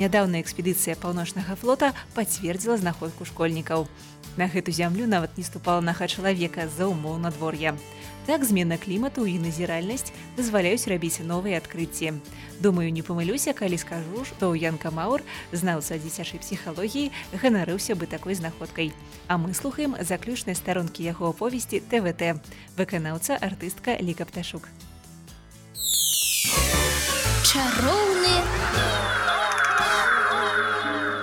Нядаўная экспедыцыя паўночнага флота пацвердзіла знаходку школьнікаў. На гэту зямлю нават не ступала нага чалавека з-за умоў надвор'я. Так, змена клімату і назіральнасць дазваляюць рабіць новыя адкрыцці. Думаю, не памылюся, калі скажу, што Ян Камаур, знаўца дзіцячай псіхалогіі, ганарыўся бы такой знаходкай. А мы слухаем заключныя старонкі яго аповесці ТВТ. Выканаўца артыстка Ліка Пташук. Чароўны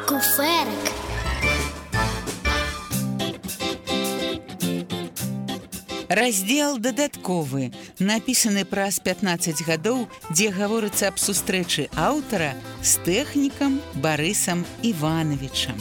куферак. Раздзел дадатковы, напісаны праз 15 гадоў, дзе гаворыцца аб сустрэчы аўтара з тэхнікам Барысам Івановичам.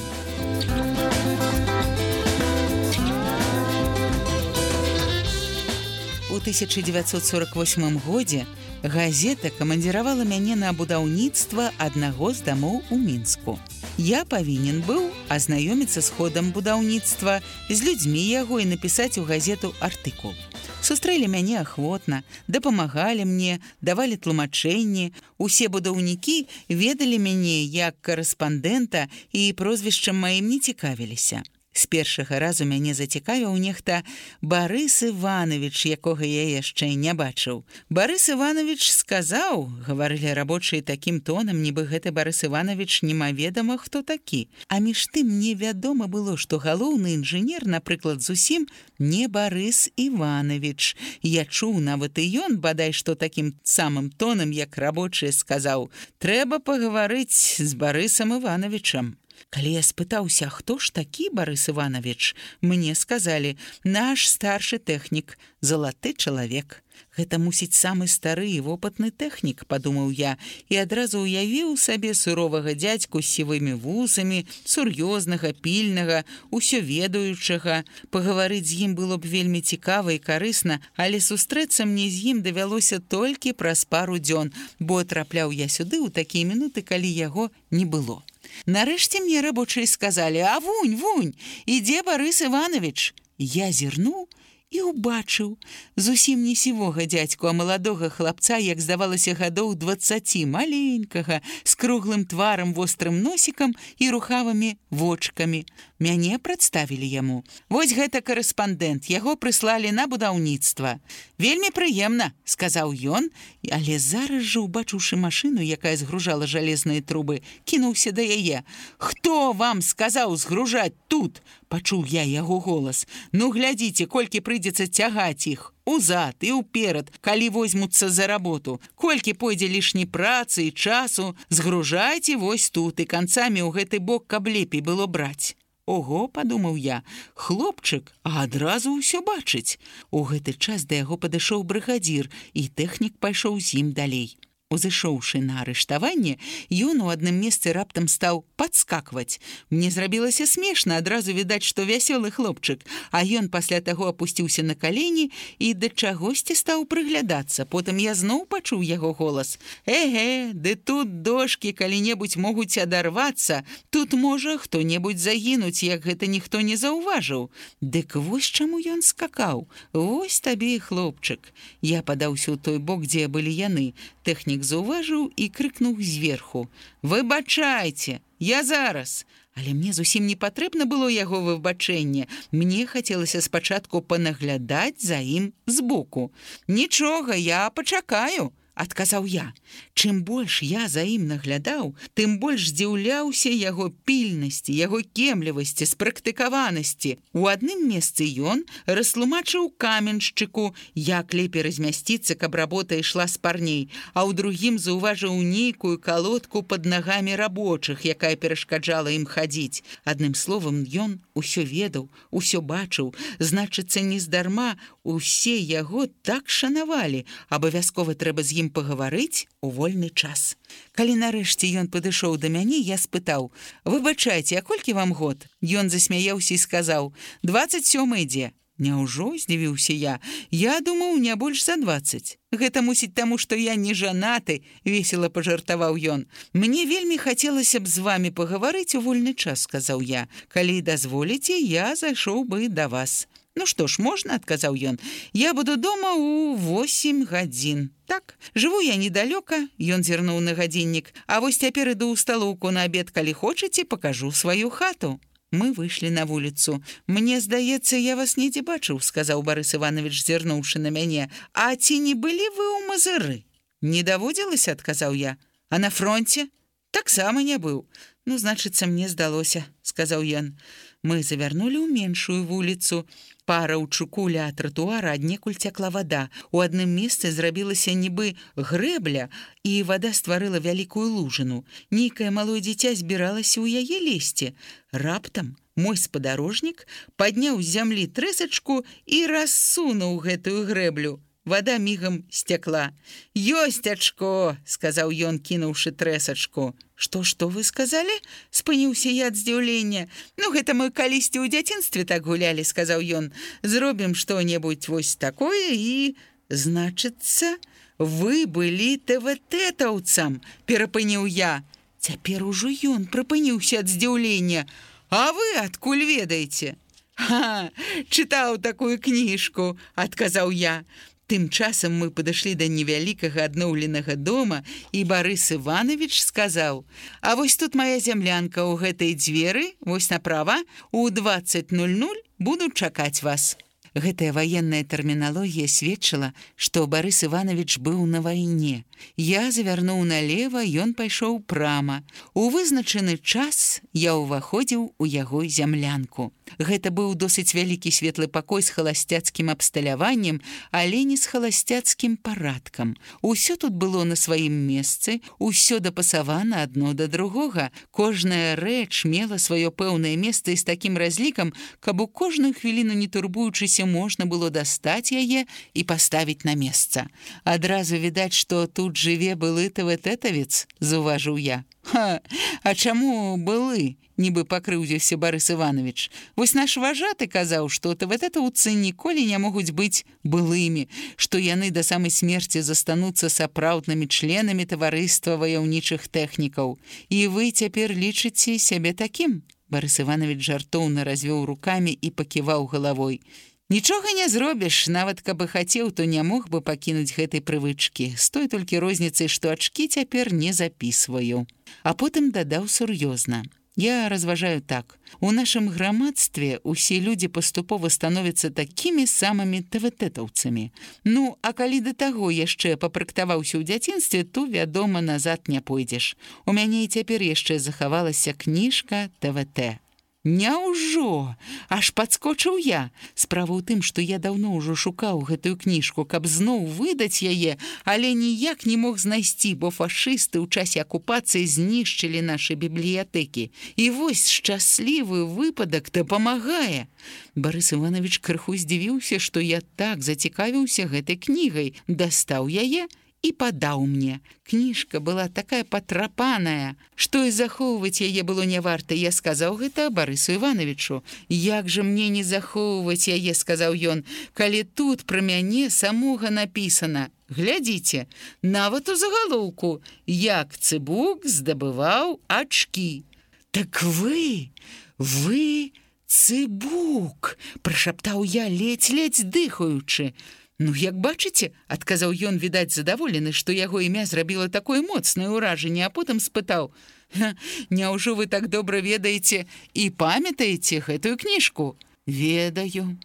У 1948 годзе газета камандзіравала мяне на будаўніцтва аднаго з дамоў у Мінску. Я павінен быў азнаёміцца з ходам будаўніцтва, з людзьмі яго і напісаць у газету артыкул. Сустрэлі мяне ахвотна, дапамагалі мне, давалі тлумачэнні. Усе будаўнікі ведалі мяне як карэспандэнта і прозвішчам маім не цікавіліся. З першага разу мяне зацікавіў нехта Барыс Іванович, якога я яшчэ не бачыў. Барыс Іванович сказаў, гаварылі рабочыя такім тонам, нібы гэты Барыс Іванович немаведама хто такі. А між тым мне вядома было, што галоўны інжынер, напрыклад, зусім не Барыс Іванович. Я чуў нават і ён, бадай што такім самым тонам, як рабочыя, сказаў: «Трэба пагаварыць з Барысам Івановичам». Калі я спытаўся, хто ж такі Барыс Іванович, мне сказалі: «Наш старшы тэхнік, залаты чалавек». Гэта мусіць самы стары і вопытны тэхнік, падумаў я, і адразу ўявіў сабе суровага дзядзьку з сівымі вусамі, сур'ёзнага, пільнага, усё ведаючага. Пагаварыць з ім было б вельмі цікава і карысна, але сустрэцца мне з ім давялося толькі праз пару дзён, бо трапляў я сюды ў такія мінуты, калі яго не было. Нарэшце мне рабочыя сказалі: «А вунь, ідзе Барыс Іванович». Я зірнуў і ўбачыў зусім не сівога дзядзьку, а маладога хлапца, як здавалася, гадоў 20, маленькага, з круглым тварам, вострым носікам і рухавымі вочкамі. Мяне прадставілі яму. «Вось гэта карэспандэнт, яго прыслалі на будаўніцтва». «Вельмі прыемна», — сказаў ён, але зараз жа, убачыўшы машыну, якая згружала жалезныя трубы, кінуўся да яе. «Хто вам сказаў згружаць тут?» — пачуў я яго голас. «Ну, глядзіце, колькі прыйдзецца цягаць іх узад і ўперад, калі возьмуцца за работу. Колькі пойдзе лішняй працы і часу, згружайце вось тут і канцамі ў гэты бок, каб лепей было браць». «Ого», — падумаў я, хлопчык, а адразу ўсё бачыць. У гэты час да яго падышоў брыгадзір, і тэхнік пайшоў з ім далей. Узышоўшы на арыштаванне, ён у адным месцы раптам стаў падскакваць. Мне зрабілася смешна, адразу відаць, што вясёлы хлопчык, а ён пасля таго апусціўся на калені і да чагосьці стаў прыглядацца. Потым я зноў пачуў яго голас. «Эге, ды тут дошкі калі-небудзь могуць адарвацца, тут можа хто-небудзь загінуць, як гэта ніхто не заўважыў». Дык вось чаму ён скакаў. Вось табе і хлопчык. Я падаўся ў той бок, дзе былі яны. Тэхнік заўважыў і крыкнуў зверху: «Выбачайце, я зараз!» Але мне зусім не патрэбна было яго выбачэнне. Мне хацелася спачатку панаглядаць за ім збоку. «Нічога, я пачакаю», — адказаў я. Чым больш я за ім наглядаў, тым больш здзіўляўся яго пільнасці, яго кемлівасці, спрактыкаванасці. У адным месцы ён растлумачыў каменшчыку, як лепей размясціцца, каб работа ішла спарней, а ў другім заўважыў нейкую калодку пад нагамі рабочых, якая перашкаджала ім хадзіць. Адным словам, ён усё ведаў, усё бачыў. Значыцца, нездарма усе яго так шанавалі. Абавязкова трэба з ім пагаварыць у вольны час. Калі нарэшце ён падышоў да мяне, я спытаў: «Выбачайце, а колькі вам год?» Ён засмяяўся і сказаў: «27 ідзе». «Няўжо?» — здзівіўся я. «Я думаў, не больш за 20. Гэта мусіць таму, што я не жанаты», — весела пажартаваў ён. «Мне вельмі хацелася б з вамі пагаварыць у вольны час», — сказаў я. «Калі дазволіце, я зайшоў бы да вас». Ну што ж, можна, адказаў ён. Я буду дома ў 8 гадзін. Так, жыву я недалёка, ён зірнуў на гадзіннік. А вось цяпер іду ў сталоўку на абед, калі хочаце, пакажу сваю хату. Мы выйшлі на вуліцу. Мне здаецца, я вас недзе бачыў, сказаў Барыс Іванович, зірнуўшы на мяне. А ці не былі вы ў Мазыры? Не даводзілася, адказаў я. А на фронте? Таксама не быў. Ну, значыцца, мне здалося, сказаў ён. Мы завярнулі ў меншую вуліцу. Па раўчуку ля тратуара аднекуль цякла вада. У адным месцы зрабілася нібы грэбля, і вада стварыла вялікую лужыну. Нейкае малое дзіця збіралася ў яе лезці. Раптам мой спадарожнік падняў з зямлі трэсачку і рассунуў гэтую грэблю. Вада мігам сцякла. «Ёсць ачко!» – сказаў ён, кінуўшы трэсачку. Што вы сказалі? Спыніўся я ад здзіўлення. Ну, гэта мы калісьці ў дзяцінстве так гулялі, сказаў ён. Зробім што-небудзь вось такое і... Значыцца, вы былі ТВТ-таўцам, перапыніў я. Цяпер ужо ён прыпыніўся ад здзіўлення. А вы адкуль ведаеце? Ха, чытаў такую кніжку, адказаў я. Тым часам мы падышлі да невялікага адноўленага дома, і Барыс Іванович сказаў: «А вось тут моя зямлянка ў гэтай дзверы, вось направа, у 20:00 буду чакаць вас». Гэтая ваенная тэрміналогія сведчыла, што Барыс Іванович быў на вайне. Я завярнуў налева, ён пайшоў прама. У вызначаны час я ўваходзіў у яго зямлянку. Гэта быў досыць вялікі светлы пакой з халасцяцкім абсталяваннем, але не з халасцяцкім парадкам. Усё тут было на сваім месцы, усё дапасавана адно да другога. Кожная рэч мела сваё пэўнае месца і з такім разлікам, каб у кожную хвіліну, не турбуючыся, можна было дастаць яе і паставіць на месца. Адразу відаць, што тут жыве былы ТВТ-тавец, заўважыў я. Ха, а чаму былы? Нібы пакрыўдзіўся Барыс Іванович. Вось наш важаты казаў, што ТВТ-таўцы ніколі не могуць быць былымі, што яны да самай смерці застануцца сапраўднымі членамі таварыства ваяўнічых тэхнікаў. І вы цяпер лічыце сябе такім? Барыс Іванович жартоўна развёў рукамі і паківаў галавой. Нічога не зробіш, нават каб і хацеў, то не мог бы пакінуць гэтай прывычкі, з той толькі розніцай, што ачкі цяпер не запісваю. А потым дадаў сур'ёзна. Я разважаю так. У нашым грамадстве усе людзі паступова становяцца такімі самымі ТВТ-таўцамі. Ну, а калі да таго яшчэ папрактаваўся ў дзяцінстве, то, вядома, назад не пойдзеш. У мяне і цяпер яшчэ захавалася кніжка ТВТ. Няўжо? Аж падскочыў я. Справа ў тым, што я даўно ўжо шукаў гэтую кніжку, каб зноў выдаць яе, але ніяк не мог знайсці, бо фашысты ў часе акупацыі знішчылі нашы бібліятэкі. І вось шчаслівы выпадак дапамагае. Барыс Іванович крыху здзівіўся, што я так зацікавіўся гэтай кнігай, дастаў яе і падаў мне. Кніжка была такая патрапаная, што і захоўваць яе было не варта. Я сказаў гэта Барысу Івановичу. «Як жа мне не захоўваць яе, — сказаў ён, — калі тут пра мяне самога напісана. Глядзіце, нават у загалоўку, як Цыбук здабываў ачкі». «Так вы Цыбук!» — прашаптаў я, ледзь-ледзь дыхаючы. «Ну, як бачыце, — адказаў ён, відаць, задаволены, што яго імя зрабіла такое моцнае ўражанне, а потым спытаў: «Няўжо вы так добра ведаеце і памятаеце гэтую кніжку?» «Ведаю,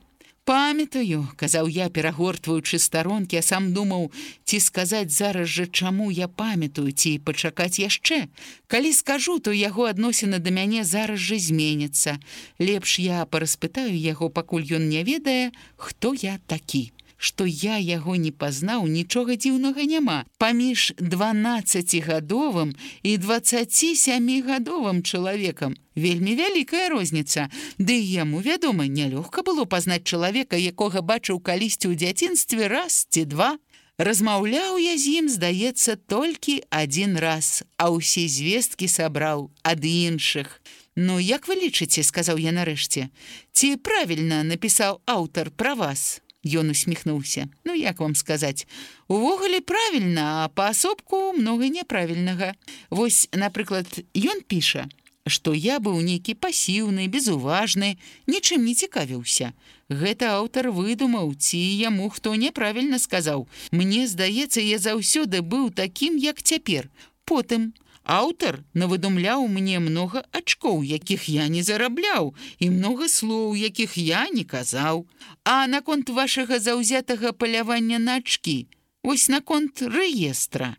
памятаю», — казаў я, перагортваючы старонкі, а сам думаў, ці сказаць зараз жа, чаму я памятаю, ці пачакаць яшчэ. Калі скажу, то яго адносіны да мяне зараз жа зменяцца. Лепш я параспытаю яго, пакуль ён не ведае, хто я такі. Што я яго не пазнаў, нічога дзіўнага няма. Паміж 12-гадовым і 27-гадовым чалавекам вельмі вялікая розніца. Ды яму, вядома, нялёгка было пазнаць чалавека, якога бачыў калісьці ў дзяцінстве раз ці два. Размаўляў я з ім, здаецца, толькі адзін раз, а ўсе звесткі сабраў ад іншых. «Ну, як вы лічыце, — сказаў я нарэшце, — ці правільна напісаў аўтар пра вас?» Ён усміхнуўся. «Ну, як вам сказаць? Увогуле правільна, а паасобку многа няправільнага. Вось, напрыклад, ён піша: што я быў нейкі пасіўны, безуважны, нічым не цікавіўся. Гэта аўтар выдумаў, ці яму хто няправільна сказаў. Мне здаецца, я заўсёды быў такім, як цяпер. Потым аўтар навыдумляў мне многа ачкоў, якіх я не зарабляў, і многа слоў, якіх я не казаў. А наконт вашага заўзятага палявання на ачкі, вось наконт рэестра.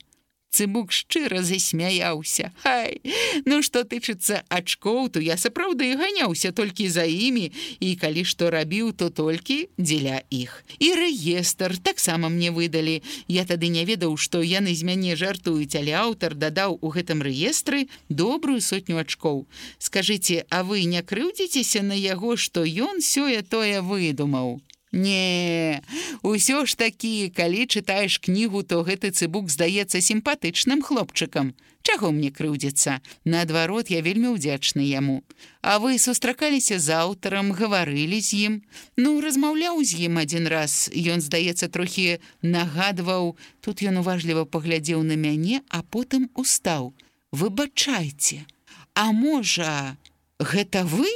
Цыбук шчыра засмяяўся. Хай, ну што тычыцца ачкоў, то я сапраўды ганяўся толькі за імі, і калі што рабіў, то толькі дзеля іх. І рэестр таксама мне выдалі. Я тады не ведаў, што яны з мяне жартуюць, але аўтар дадаў у гэтым рэестры добрую 100 ачкоў. Скажыце, а вы не крыўдзіцеся на яго, што ён сёе-тое выдумаў? Не, усё ж такі, калі чытаеш кнігу, то гэты цыбук здаецца сімпатычным хлопчыкам. Чаго мне крыўдзіцца? Наадварот, я вельмі ўдзячны яму. А вы сустракаліся з аўтарам, гаварылі з ім? Ну, размаўляў з ім адзін раз. Ён, здаецца, трохі нагадваў. Тут ён уважліва паглядзеў на мяне, а потым устаў. Выбачайце, а можа, гэта вы?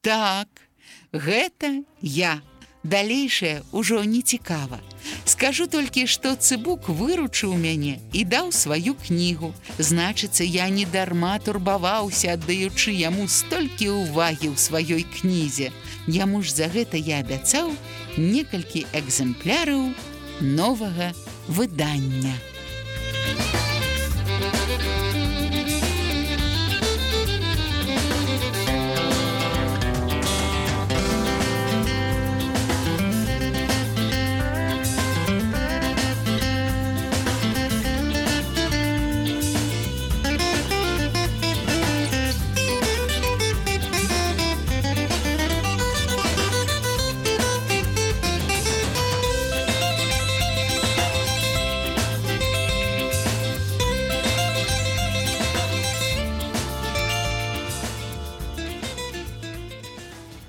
Так, гэта я. Далейшае ўжо не цікава. Скажу толькі, што цыбук выручыў мяне і даў сваю кнігу. Значыцца, я не дарма турбаваўся, аддаючы яму столькі ўвагі ў сваёй кнізе. Яму ж за гэта я абяцаў некалькі экземпляраў новага выдання.